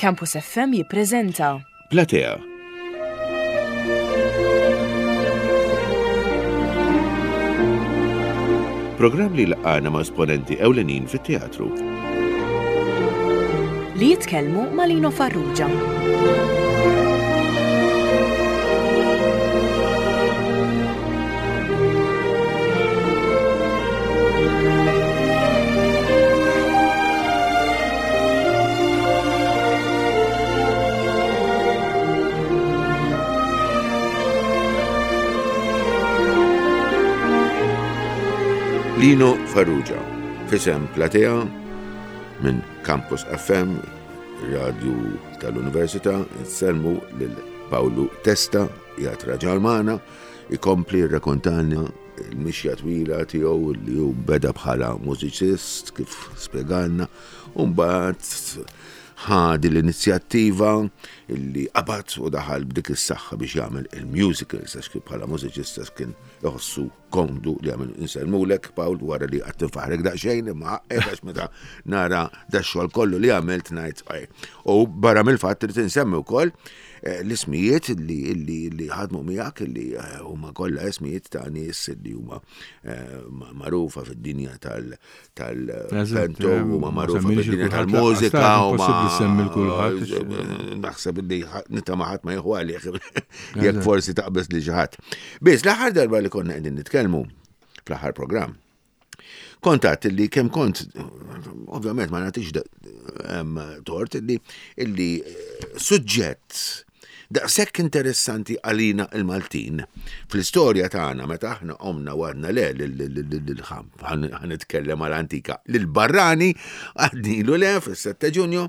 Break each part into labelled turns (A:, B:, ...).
A: Campus FM jippreżenta.
B: Platea. Programm li laqgħana ma' esponenti ewlenin fit-teatru.
A: Li jitkellmu ma' Lino Farrugia.
B: Lino Farrugia, fisem Platea minn Campus FM, radju tal-Università, nsellmu lil Pawlu Testa, jgħat raġal magħna, ikompli rrakontalna l-mixja twila tiegħu li hu beda bħala mużiċist kif spjegalna u mbagħad ħa din l-inizjattiva li qabad u daħal b'dik is-saħħa biex jagħmel il-musicals għax kif bħala mużiċista kien iħossu komdu li jagħmel insellmulek Pawl wara li qatt infaħrek daqsxejn imma ħaqqek għax meta nara dax-xogħol kollu li għamilt ngħid U barra mill-fatt li tinsemmi wkoll eh, l-ismijiet li li ħadmu miegħek li eh, huma kollha ismijiet ta' nies li huma eh, magħrufa fid-dinja tal tal-pento huma magħrufa fid-dinja tal-mużika
C: huma semmi l-kulħadd.
B: Naħseb li nitama ħadd ma jieħu għalih jekk forsi taqbeż li xi ħadd. Biss l-aħħar darba li konna qegħdin nitkellmu fl-aħħar programm Kont għadt li kemm kont, ovvjament ma nagħtix tort li illi eh, suġġett daqshekk interessanti għalina il-Maltin fl-istorja tagħna meta aħna omna għadna le ħa nitkellem għal antika lil-barrani għadnilu le fis-7 Ġunju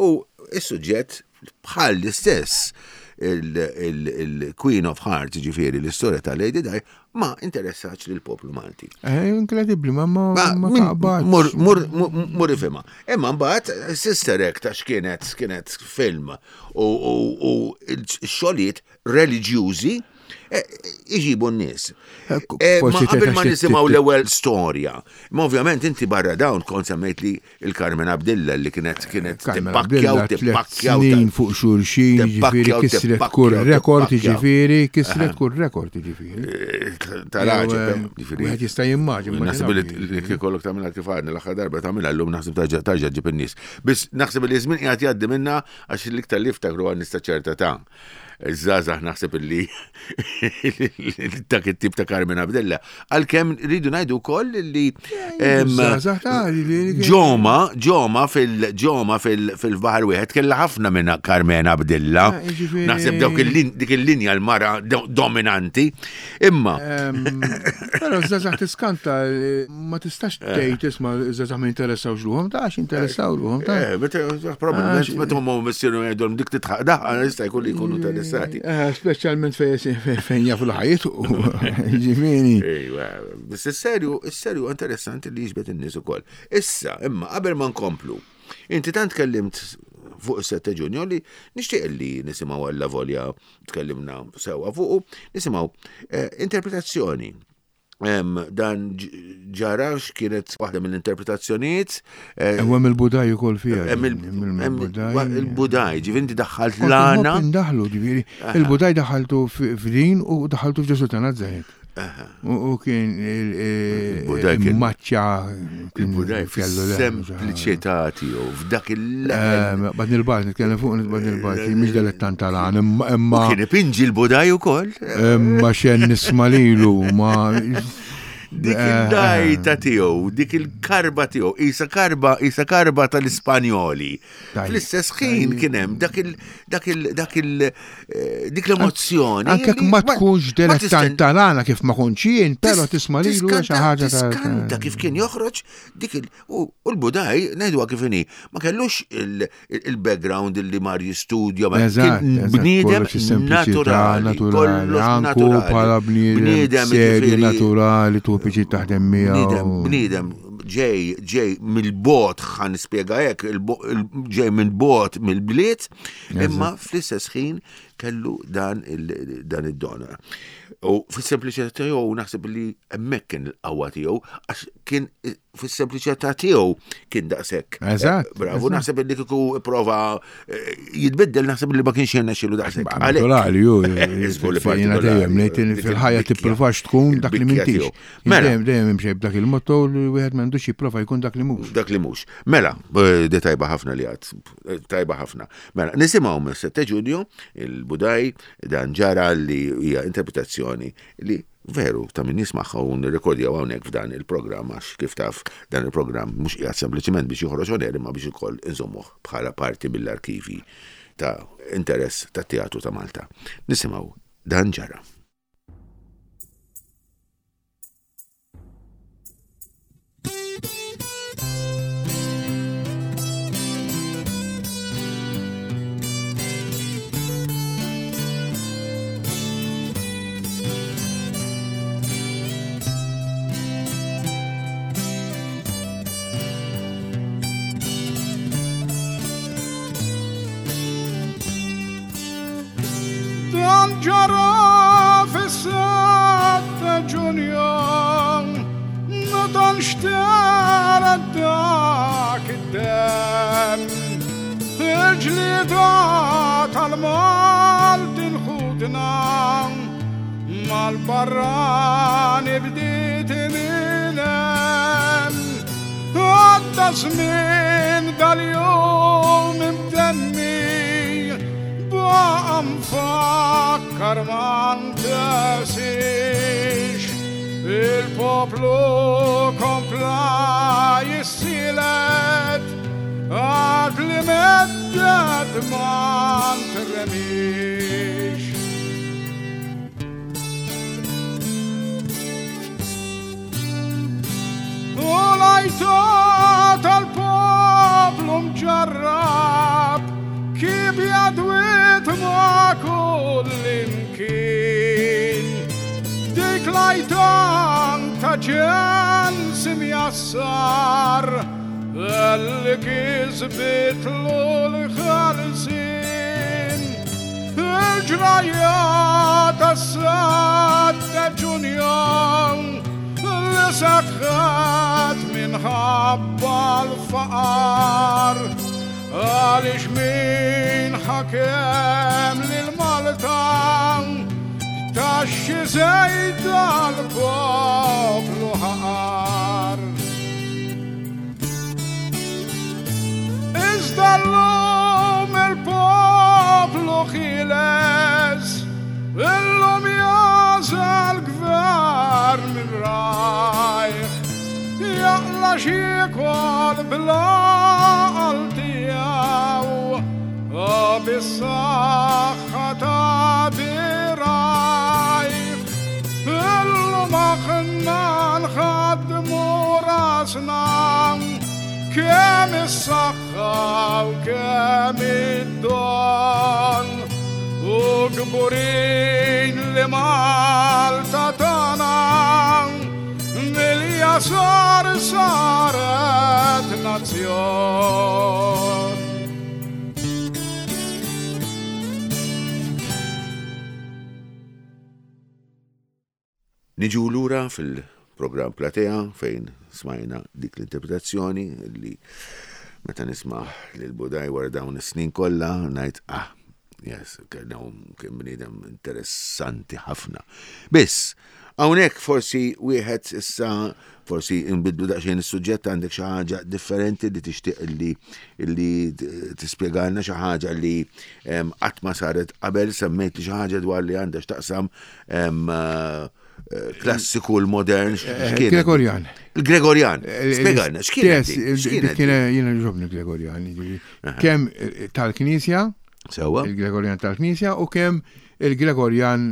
B: u s-suġġett bħal l-istess il-Queen of Hearts, ġifieri l-istorja ta' Lady Di, ma interessax lil poplu Malti.
C: Eh, inkredibbli, ma ma ma
B: Mur mur mur ifhimha. Imma mbagħad Sister Act għax kienet kienet film u x-xogħlijiet reliġjużi eh, iġibu n-nies. Eh, eh, ma qabel ma nisimgħu l-ewwel storja. Ma ovvjament inti barra dawn kont semmejt li il-Carmen Abdilla li kienet kienet
C: tippakkja u tippakkja snin fuq xulxin, ġifieri kisret kull rekord, ġifieri kisret kull rekord, ġifieri.
B: Eh, Tal-għaġeb, eh,
C: ġifieri. Wieħed jista' jimmaġina.
B: Naħseb li kikollok tagħmilha kif għadna l-aħħar darba tagħmilha llum naħseb tarġa' ġib in-nies. Biss naħseb li żmien qiegħed jgħaddi minna għax l-iktar li ftakru għan nista' ċerta ta' Iż-żgħażagħ naħseb illi dak it-tip ta' Carmen Abdella. Għalkemm rridu ngħidu wkoll li ġoma, ġoma fil-ġoma fil-baħar wieħed kellha ħafna minn Carmen Abdella. Eh, naħseb dawk dik il-linja l-mara dominanti. Imma.
C: Però żgħażagħ tiskanta ma tistax eh. tgħid isma' żgħażagħ ma jinteressawx ruhom, ta' għax jinteressaw ruhom ta'.
B: Eh, probabbilment meta huma missieru jgħidulhom dik titħaq daħqa jista' jkun li jkunu interessati.
C: Eh, speċjalment fejn jafu l-ħajt ġifieri.
B: Ejwa, biss is-serju, is-serju interessanti li jiġbed in-nies ukoll. Issa, imma qabel ma nkomplu, inti tant tkellimt fuq is-7 Ġunju li nixtieq li nisimgħu għalla volja tkellimna sewwa fuqu, nisimgħu interpretazzjoni dan ġara x'kienet waħda mill-interpretazzjonijiet.
C: Eh, hemm il-Budaj ukoll fiha.
B: Il-Budaj, ġifieri inti daħħalt l-għana.
C: Indaħlu, ġifieri. Il-Budaj daħħaltu f'din u daħħaltu f'Ġesu ta' Nazaret. U kien il-maċċa.
B: Il-Budaj fis-sempliċità tiegħu f'dak il-
C: eh, Bad nil-bajt, nitkellem fuq bad nil-bajt, mhix dilettant tal-għan, imma.
B: Kien ipinġi l-Budaj ukoll.
C: Imma xen nisma' lilu, ma.
B: Dik eh, il-dajta tiegħu, dik il-karba tiegħu, isa karba, isa karba tal-Ispanjoli. Fl-istess ħin kien hemm dak il dak il dak il eh, dik l-emozzjoni.
C: Anke ma tkunx dilettant tal-għana kif ma kontx jien, però tisma' lilu xi ħaġa
B: ta' Tiskanta kif kien joħroġ dik il U l-Budaj, ngħiduha kif inhi, ma kellux il-background li mar jistudja, ma kien bniedem naturali,
C: kollox naturali. Bħala bniedem serju naturali, tu piċi taħdem
B: miegħu. Bniedem ġej ġej mill-bot ħan nispjega hekk, ġej mill-bot mill-bliet, imma fl-istess ħin Kellu dan dan id-don. U fis-sempliċità tiegħu naħseb li hemmhekk kien il-qawwa tiegħu għax kien fis-sempliċità tiegħu kien daqshekk. Eh,
C: Eżatt.
B: Bravo, naħseb li kieku prova eh, jitbiddel naħseb li ma kienx jirnexxielu daqshekk.
C: Naturali, ju. Jiena dejjem ngħid fil-ħajja tippruvax tkun dak li m'intix. Mela. Dejjem imxej b'dak il-motto li wieħed m'għandux jipprova jkun dak li mhux.
B: Dak li mhux. Mela, eh, di tajba ħafna li għad, tajba ħafna. Mela, nisimgħu mis-7 Ġunju il-Budaj dan ġara li hija interpretazzjoni li veru ta' min jismagħha u nirrekordjaw hawnhekk f'dan il-programm għax kif taf dan il-programm mhux qiegħed sempliċement biex joħroġ on air imma biex ukoll inżommuh bħala parti mill-arkivi ta' interess tat-teatru ta' Malta. Nisimgħu dan ġara.
D: Dan ġara fis-7 Ġunju meta nxtara dak id-demm. Il-ġlieda tal-Maltin ħutna mal-barrani bdiet minn hemm. Għadda żmien dal-jum imtemmi baqa' mfakkar ma ntesix. Il-poplu kompla jissielet għad li meddet ma ntremix. U l-għajta tal-poplu mġarrab kibja dwiet ma' kull imkien. Dik l-għajta ta' ġens imjassar li kisbitlu l-ħelsin. Il-ġrajja tas-7 Ġunju li seħħet minħabba l-faqar għaliex min ħakem lil Malta b'taxxi żejda l-poplu ħaqar. Iżda llum il-poplu ħieles, illum jagħżel gvern minn rajh, jaqla' x'jiekol bl-għaqal tiegħu u bis-saħħa ta' dirgħajh. Illum aħna nħaddmu rasna kemm is-saħħa u kemm id-don u kburin li Malta tagħna mill-jasar saret nazzjon.
B: Niġu lura fil-programm Platea fejn smajna dik l-interpretazzjoni li meta nisma' lil Budaj wara dawn is-snin kollha ngħid ah, yes, kien bniedem interessanti ħafna. Biss, hawnhekk forsi wieħed issa forsi nbidlu daqsxejn is-suġġett għandek xi ħaġa differenti li tixtieq li li tispjegalna xi ħaġa li qatt ma saret qabel semmejt li xi ħaġa dwar li għandha x'taqsam eh, klassiku l-modern. Eh,
C: Gregorjan.
B: Il-Gregorjan. Eh, Spjegalna, x'kien?
C: Kien jiena ġobni Gregorjan. Kemm tal-Knisja,
B: Sewa.
C: Il-Gregorjan tal-Knisja u kemm il-Gregorjan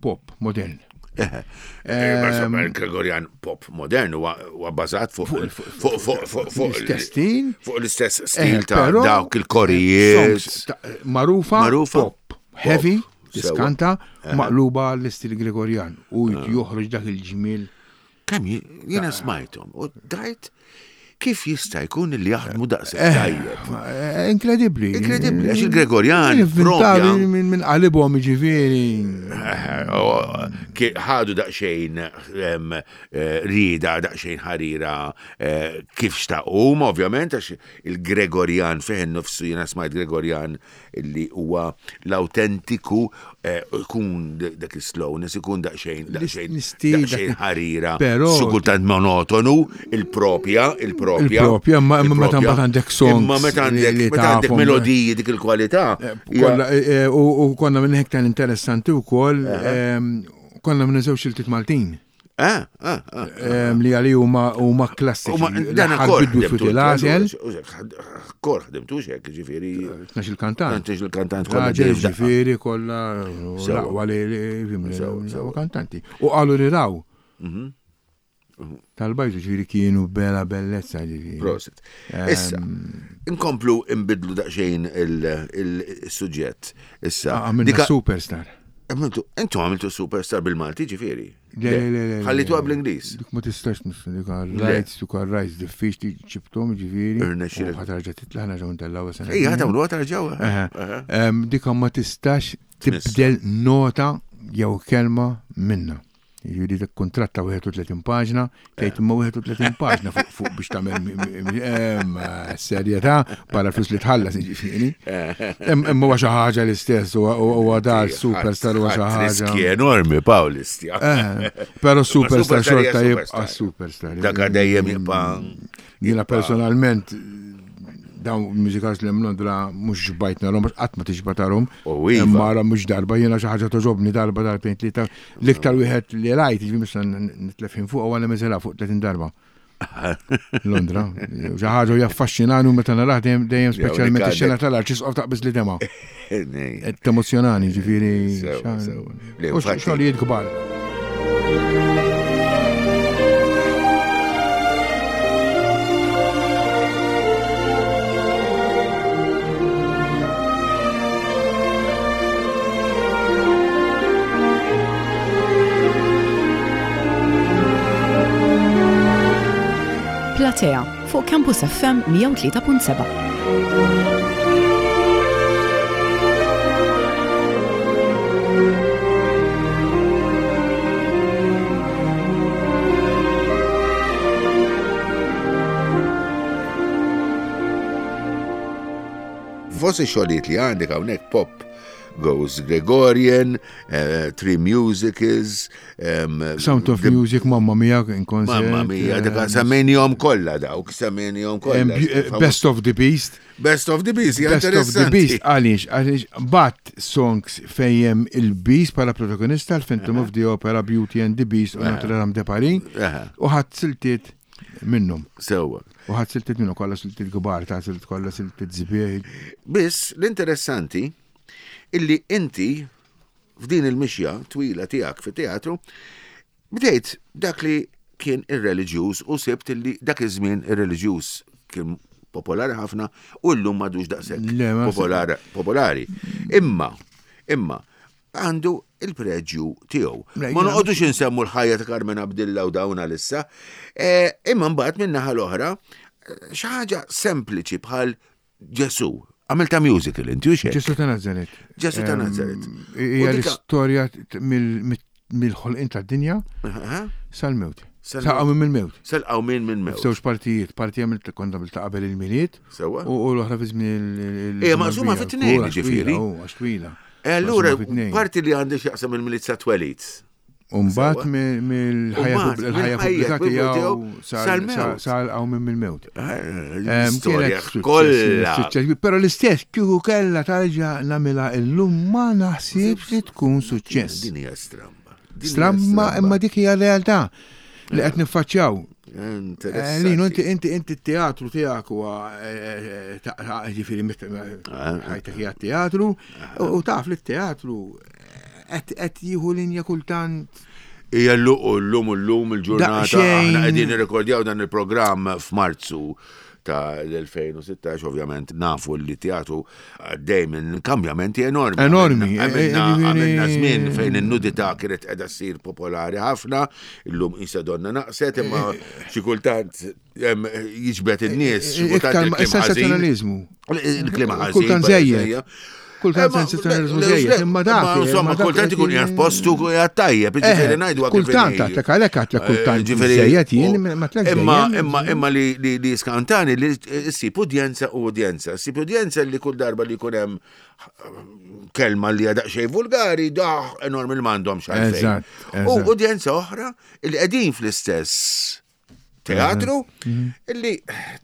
C: pop modern.
B: Il-Gregorjan pop modern huwa bbażat fuq
C: l-istess stil.
B: Fuq l-istess stil ta' dawk il-korijiet.
C: Marufa, pop, heavy, diskanta, maqluba l-istil Gregorjan u joħroġ dak il-ġmiel.
B: Kemm jiena smajthom u dajt. Kif jista' jkun li jaħdmu daqshekk eh, tajjeb?
C: Eh, inkredibbli.
B: Inkredibbli, għax il-Gregorjan propja.
C: Minn qalibhom jiġifieri.
B: Eh, oh, ħadu daqsxejn rieda, daqsxejn ħarira kif xtaqu, ovvjament, għax il-Gregorjan fih nofsu jiena smajt Gregorjan li huwa l-awtentiku eh, ikun dak is-slowness, ikun daqsxejn daqsxejn daqsxejn ħarira, xi kultant monotonu, il-propja, il-propja.
C: Il-propja, ma meta mbagħad għandek songs.
B: Imma meta għandek meta għandek melodiji dik il-kwalità.
C: Eh, eh, u konna minn hekk interessanti wkoll, ehm, konna minn żewġ siltiet Maltin.
B: Ah, ah, ah,
C: ah. Li għali huma huma klassiċi.
B: Dan kor
C: ħdimtu l-għażel.
B: Kor ħdimtu xek, ġifieri.
C: Tnax il-kantant.
B: Tnax il-kantant
C: kollha. Ġifieri kollha l-aqwa li kantanti. U qalu li raw. Mhm. Tal-bajtu ġifieri kienu bella bellezza ġifieri.
B: Prosit. Issa, inkomplu imbidlu daqsxejn il-suġġett. Issa.
C: Għamilna superstar.
B: Intu għamiltu superstar bil-Malti ġifieri.
C: Le, le, le, le.
B: Ħallitu bl-Ingliż.
C: Dik ma tistax dik rights, dik rights diffiċli ġibtom ġifieri.
B: Irnexxielek.
C: Ħatarġa titla' ħna ġew ntellgħu
B: sena. Ejja, ħatagħmlu ħatarġaw.
C: Dik ma tistax tibdel nota jew kelma minna. Jiġifieri dak kuntratt ta' 31 paġna, tgħid imma 31 paġna fuq biex tagħmel serjetà bħala flus li tħallas jiġifieri. Imma huwa xi ħaġa l-istess huwa dar superstar huwa xi ħaġa.
B: Riski enormi Pawl istja.
C: Eh, però superstar xorta jibqa' superstar.
B: Dak dejjem jibqa'
C: Jiena personalment dawn mużikals li hemm Londra mhux xbajt narhom għax qatt ma tixba' tarhom.
B: Iva.
C: Imma ara mhux darba jiena xi ħaġa toġobni darba darbtejn tlieta. L-iktar wieħed li rajt, jiġifieri mhux se nitlef ħin fuq huwa Les fuq 30 darba. Londra. Xi ħaġa jaffaxxinani u meta narah dejjem dejjem speċjalment ix-xena tal-arċisqof taqbiż li dema. Temozzjonani ġifieri. Xogħlijiet kbar.
A: Platea fuq Campus FM 103.7.
B: Fost ix-xogħlijiet li għandek hawnhekk pop Goes Gregorian, uh, Three Musicals,
C: um, Sound of Music, Mamma Mia, in concert.
B: Mamma Mia, dak semmejnihom kollha dawk, semmejnihom kollha.
C: Eh, Best of the Beast.
B: Best of the Beast,
C: Best of the Beast, għaliex, għaliex, bat songs fejjem il-Beast bħala protagonista, l-Phantom of the Opera, Beauty and the Beast u Notre Dame de Paris, u ħadd siltiet minnhom.
B: Sewwa.
C: U ħadd siltiet minnhom kollha siltiet kbar ta' silt kollha siltiet sbieħ.
B: Biss l-interessanti illi inti f'din il-mixja twila tiegħek fit-teatru bdejt dak li kien ir-reliġjuż u sibt illi dak iż-żmien ir-reliġjuż kien popolari ħafna u llum m'għadux daqshekk popolari. Imma, imma, għandu il-preġju tiegħu. Ma noqogħdux insemmu l-ħajja ta' Carmen Abdilla u dawn għalissa, eh, imma mbagħad minn naħa l-oħra eh, xi ħaġa sempliċi bħal Ġesu. Għamilta musical inti u xejn.
C: Ġesu ta' Nazaret.
B: Ġesu ta' Nazaret.
C: Hija l-istorja mill-ħolqien tad-dinja sal-mewt. Sal-qawmien mill-mewt.
B: Sal-qawmien mill-mewt.
C: Żewġ partijiet, parti għamilt kont għamilt qabel il-Milied.
B: Sewwa.
C: U l-oħra fi żmien il.
B: Ejja maqsuma fi tnejn ġifieri.
C: Għax twila.
B: E allura parti li għandi x'jaqsam il-Milied sa twelid.
C: Umbat mill-ħajja pubblika tiegħu sal-qawmien mill-mewt.
B: Eh, storja kollha.
C: Però l-istess kieku kellha tarġa' nagħmilha illum ma naħsibx li tkun suċċess.
B: Din hija stramba.
C: Stramma imma dik hija realtà li qed niffaċċjaw. Eh, Lino, inti inti inti t-teatru tiegħek huwa eh, eh, ġifieri ħajtek hija teatru u taf li t-teatru qed jieħu linja kultant
B: Ija l-lum u l-lum il-ġurnata aħna qegħdin nirrekordjaw dan il-programm f'Marzu. ta' l-2016, ovvjament nafu li teatru għaddej minn kambjamenti enormi.
C: Enormi.
B: Għamilna żmien fejn in-nudità kienet qiegħda ssir popolari ħafna, illum qisha donna naqset, imma xi kultant jiġbed in-nies.
C: Iktar sensazzjonaliżmu.
B: Il-klima ħażin.
C: Kultant żejjed. Kultant sensazzjonaliżmu żejjed, imma dak.
B: Insomma, kultant ikun qiegħed postu qiegħed tajjeb, jiġifieri ngħidu
C: Kultant għatlek għalhekk għatlek kultant żejjed jien ma tlek.
B: Imma imma imma li li skantani li ssib udjenza u udjenza. Ssib udjenza li kull darba li jkun hemm kelma li għadaq xej vulgari, daħ enormi li m'għandhomx għalfejn. U udjenza oħra li qegħdin fl-istess teatru mhm. illi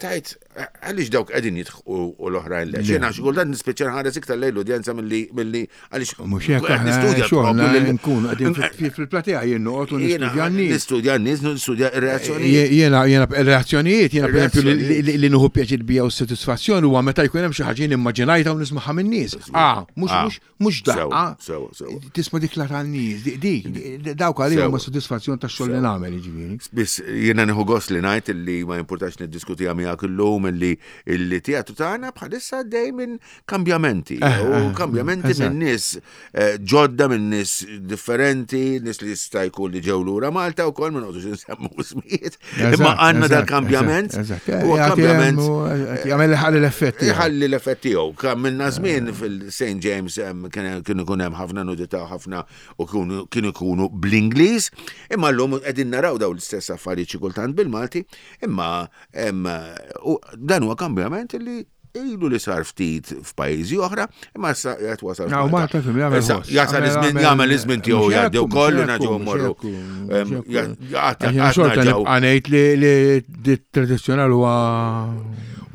B: tajt għaliex dawk qegħdin jidħqu u l-oħrajn le. Xena xi kultant nispiċċa nħares iktar lejn l-udjenza milli għaliex
C: mhux hekk nistudja nkun qegħdin fil-platea jien noqgħod u nistudja n-nies.
B: Nistudja n-nies, nistudja r-reazzjonijiet.
C: Jiena jiena reazzjonijiet, jiena pereżempju li nieħu pjaċir bija u s-sodisfazzjon huwa meta jkun hemm xi ħaġa jien immaġinajta u nismagħha min-nies. Ah, mhux ah. Mhux daqqa.
B: Sewa, sewa.
C: Tisma' dik la tan-nies, dik, dawk għalihom huma sodisfazzjon tax-xogħol li nagħmel jiġifieri.
B: Biss jiena nieħu gost li ngħid li ma jimpurtax niddiskutiha miegħek illum illi illi teatru tagħna bħalissa għaddej minn kambjamenti. Eh, u eh, kambjamenti minn nies eh, ġodda minn nies differenti, nies li jista' jkun li ġew lura Malta wkoll ma noqgħodux insemmu ismijiet. Imma għandna dal-kambjament.
C: U kambjament. Jagħmel ħalli l-effett.
B: Ħalli l-effett tiegħu. Kamilna żmien fil-St. James kienu ikun hemm ħafna nudità ħafna u kienu jkunu bl-Ingliż, imma llum qegħdin naraw dawn l-istess affarijiet xi kultant bil-Malti, imma dan huwa kambjament li ilu li sar ftit f'pajjiżi oħra, imma issa qed wasal.
C: Naw Malta fim jagħmel ħoss.
B: Jasal iż-żmien jagħmel iż-żmien tiegħu jgħaddi wkoll u naġgħu mmorru.
C: Xorta nibqa' ngħid li tradizzjonal huwa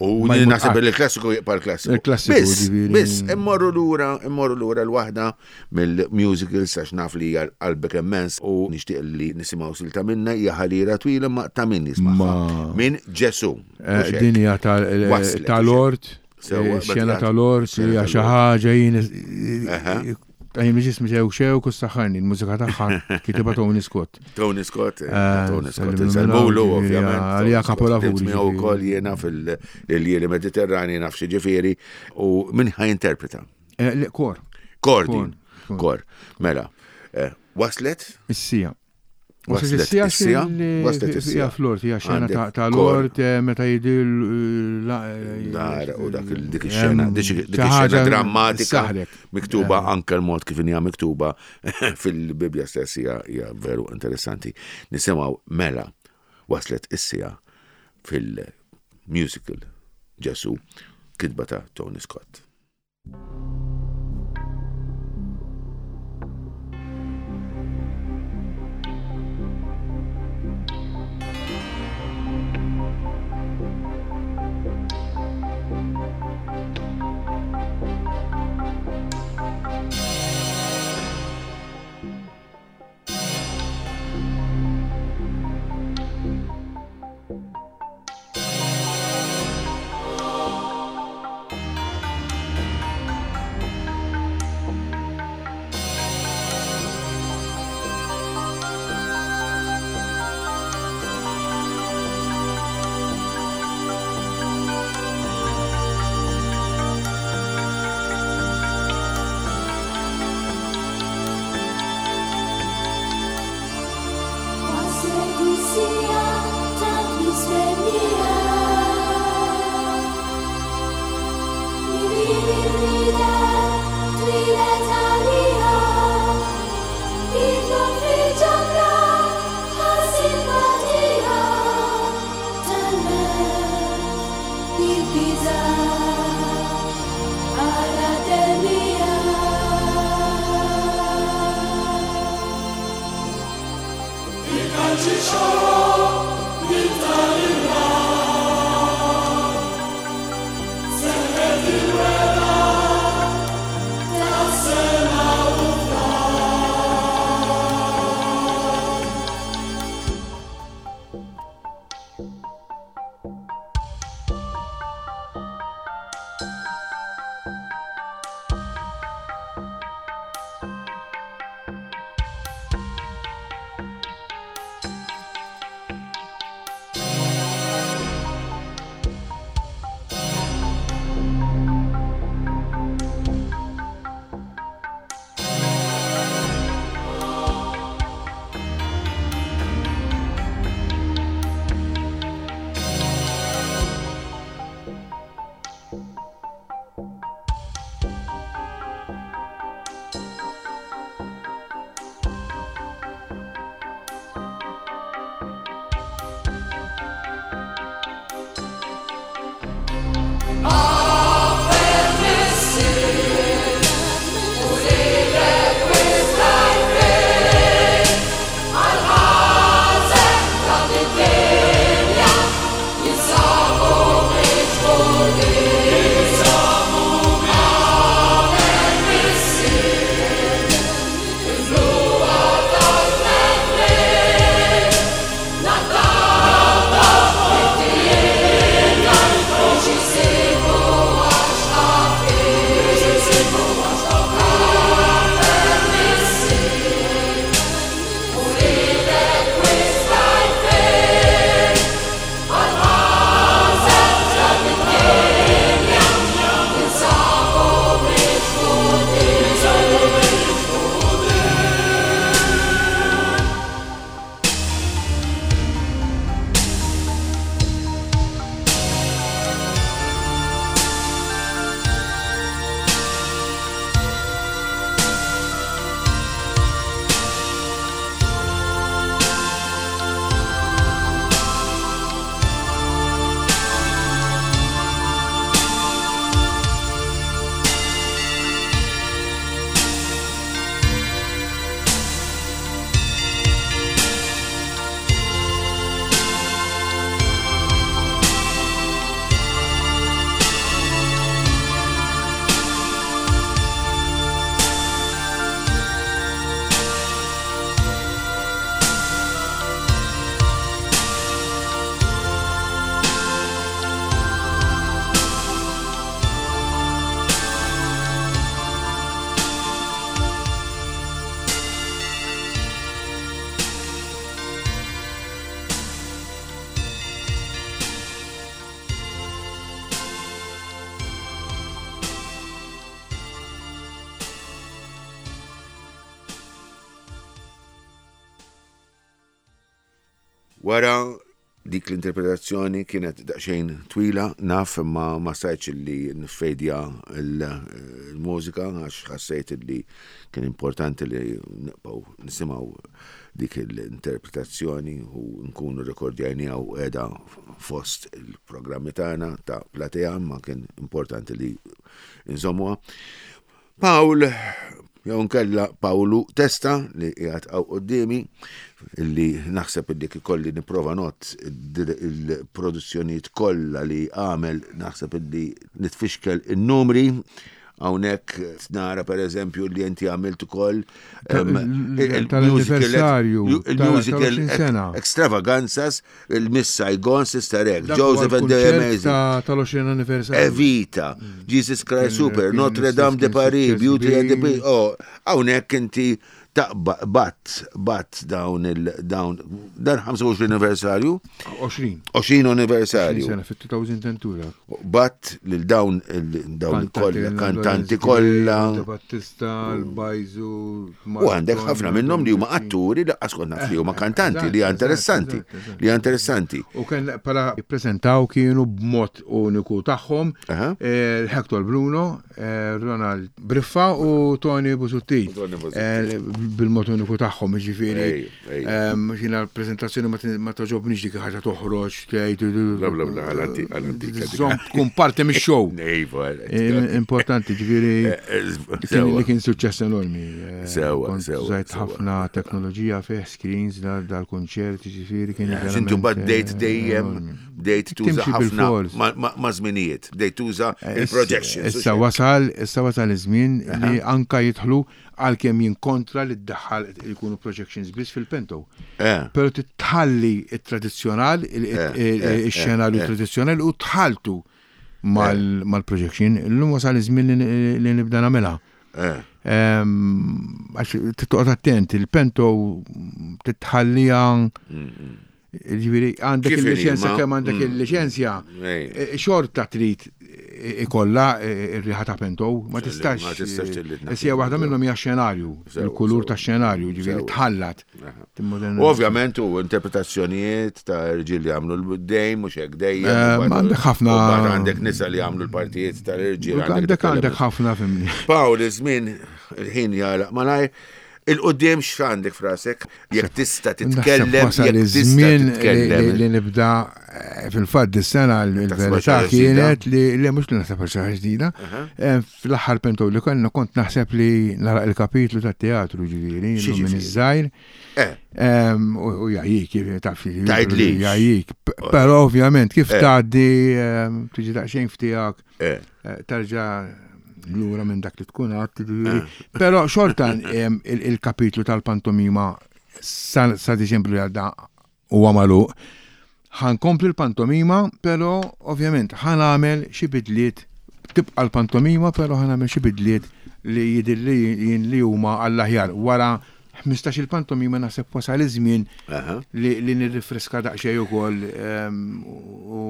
B: U naħseb li l-klassiku jibqa' l-klassiku.
C: Il-klassiku.
B: Biss, immorru lura, immorru lura l-waħda mill-musicals għax naf li hija qalbek immens u nixtieq li nisimgħu silta minna hija ħalira twila ma ta' min jisma'. Minn Ġesu.
C: Eh, din hija eh, tal-ort, eh, xena tal-ort, hija xi ħaġa jien Għajn ġismi xew xew kus saħħarni, il-mużika tagħha kitibha Tony Scott.
B: Tony Scott, Tony Scott, insellmulu ovvjament.
C: Għalija kapolavur.
B: Miegħu wkoll jiena fil-ljieli Mediterrani naf xi ġifieri u min ħa jinterpreta.
C: Kor.
B: Kor din. Kor. Mela, waslet?
C: Is-sija.
B: Waslet is-sija.
C: Waslet is-sija. Flor, hija xena ta' lord eh, meta jidil
B: eh, Dar u dak dik ix-xena, dik ix-xena drammatika miktuba eh. anke l-mod kif hija miktuba fil-Bibbja stess hija veru interessanti. Nisimgħu mela waslet is-sija fil-musical Ġesu kitba ta' Tony Scott. Wara dik l-interpretazzjoni kienet daqsxejn twila, naf imma ma stajtx li nfejdja l-mużika għax ħassejt li kien importanti li nibqgħu nisimgħu dik l-interpretazzjoni u nkunu rekordjajniha u qiegħda fost il-programmi tagħna ta' Platea imma kien importanti li nżommuha. Pawl, jew nkella Pawlu Testa li qiegħed hawn quddiemi illi naħseb illi ikolli nipprova not il-produzzjonijiet kollha li għamel naħseb illi nitfixkel in-numri hawnhekk nara pereżempju li inti għamilt ukoll
C: il-musical
B: il-musical extravaganzas Il-Miss Saigon, Sister Act, Joseph and the Amazing.
C: Tal-20 anniversary.
B: Evita, Jesus Christ Super, Notre Dame de Paris, Beauty and the Beast. Oh, hawnhekk inti taqba bat bat dawn il dawn dan 25 anniversarju.
C: 20.
B: 20 anniversarju.
C: Sena fit-2002.
B: Bat lil dawn dawn kollha kantanti kollha.
C: Battista, l-Bajzu.
B: U għandek ħafna minnhom li huma atturi li qas kont naf li huma kantanti li interessanti, li interessanti.
C: U kien pala jippreżentaw kienu b'mod uniku tagħhom eh, Hector Bruno, eh, Ronald Briffa u Tony Busuttil. Eh, bil-mod uniku tagħhom, jiġifieri. Jiena l-preżentazzjoni ma toġobniex dik ħaġa toħroġ tgħid.
B: Bla bla bla għal-antika.
C: Tkun parti mix-show.
B: Iva.
C: Importanti, ġifieri li kien suċċess enormi.
B: Sewa, sewa.
C: Użajt ħafna teknoloġija fih, screens dal-kunċert, ġifieri kien.
B: Intu mbagħad bdejt dejjem bdejt tuża ħafna ma' żminijiet, bdejt tuża il-projections.
C: Issa wasal, issa wasal iż-żmien li anka jidħlu Għalkemm jien kontra li ddaħħal jkunu projections biss fil-pento.
B: Eh.
C: Però titħalli it-tradizzjonal, eh, eh, ix-xenarju tradizzjonali u tħaltu mal-projection. Illum wasal iż-żmien li nibda nagħmilha. Ehm, għax titqgħod attent, il-pento titħallija mm, mm. Ġifieri għandek il-liċenzja kemm għandek mm. il-liċenzja, e, xorta trid ikolla e, ir-riħa ta' pento, ma tistax. Sija waħda minnhom hija xenarju, il-kulur ta' xenarju, ġifieri tħallat.
B: Ovvjament u interpretazzjonijiet ta' irġiel li jagħmlu l-dejm mhux hekk dejjem.
C: Eh, għandek ħafna.
B: Għandek nisa li jagħmlu l-partijiet tal-irġiel.
C: Għandek għandek ħafna fimni.
B: Pawl, iż-żmien il-ħin jagħlaq malajr. Il-qudiem x'għandek frasek? Jekk tista' titkellem, jekk tista' titkellem.
C: Li nibda eh, fil-fatt dis-sena l-verità kienet li li mhux li naħseb xi ħaġa ġdida. Eh, fl-aħħar pentu li konna kont naħseb li nara il-kapitlu tat-teatru ġifieri minn iż-żgħir.
B: Eh.
C: U jgħajjik, taf
B: Tgħidli.
C: Jgħajjik. Però ovvjament kif tgħaddi tiġi daqsxejn ftiegħek Tarġa' lura minn dak li tkun għadt, ġifieri. Però xorta il-kapitlu tal-pantomima sa Diċembru li għadda huwa magħluq. Ħankompli l-pantomima, però ovvjament ħanagħmel xi bidliet tibqa' l-pantomima, però ħanagħmel xi bidliet li jidhirli jien li huma għall-aħjar wara 15 il-pantomima naħseb wasal iż-żmien li nirrifreska daqsxejn ukoll ehm, u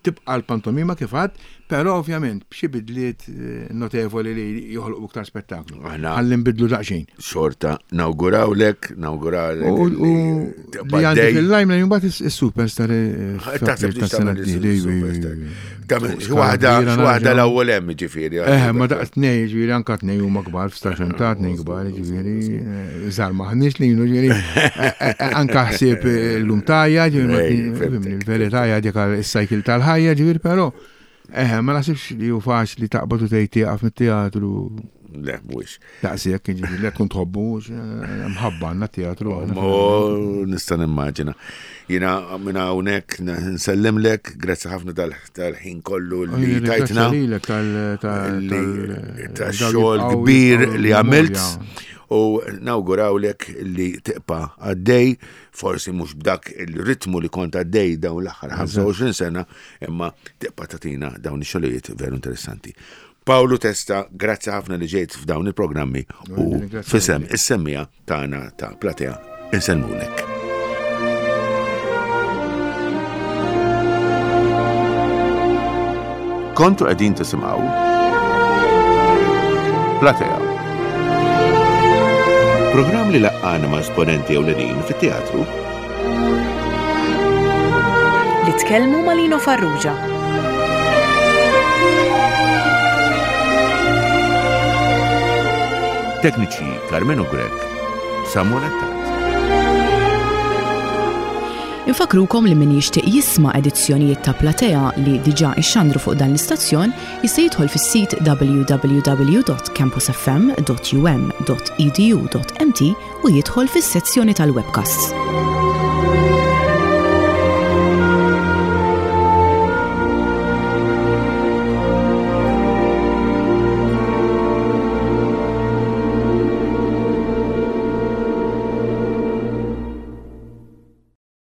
C: tibqa' l-pantomima kif għad, però ovvjament b'xi bidliet eh, notevoli li joħolqu iktar spettaklu. Ħalli nbidlu daqsxejn.
B: Xorta nawgurawlek, nawgurawlek.
C: U li għandi fil-lajm li mbagħad is-superstar eh,
B: Taħseb li tagħmel is-superstar. Waħda waħda l-ewwel hemm ġifieri.
C: Eh, ma daqs tnej, ġifieri anka tnej huma kbar f'staġun ta' tnej kbar, ġifieri eh, żgħar maħniex li jienu ġifieri eh, eh, anka ħsieb l-lum tajja, ġifieri il-verità hija dik is-cycle tal-ħajja, ġifieri però eh ma naħsibx li hu faċli taqbad u tgħid tieqaf mit-teatru.
B: Le, mhuwiex.
C: Daqshekk, jiġifieri li tkun tħobbu, mħabba għandna teatru.
B: Nista' nimmaġina. Jiena minn hawnhekk nsellimlek, grazzi ħafna tal-ħin kollu li tajtna. Tax-xogħol kbir li għamilt u nawgurawlek li tibqa' għaddej, forsi mhux b'dak il-ritmu li kont għaddej dawn l-aħħar 25 sena, imma tibqa' tagħtina dawn ix-xogħlijiet veru interessanti. Pawlu Testa, grazzi ħafna li ġejt f'dawn il-programmi u fisem is-semmija tagħna ta' Platea insellmulek. Kontu qegħdin tisimgħu Platea. Programm li laqqana ma' esponenti ewlenin fit-teatru.
A: Nitkellmu ma' Lino Farrugia.
B: Tekniċi Carmenu Grech, Samuel Attard.
A: Infakrukom li min jixtieq jisma' edizzjonijiet ta' Platea li diġà ixxandru fuq dan l-istazzjon jista' jidħol fis-sit www.campusfm.um.edu.mt u jidħol fis-sezzjoni tal-webcasts.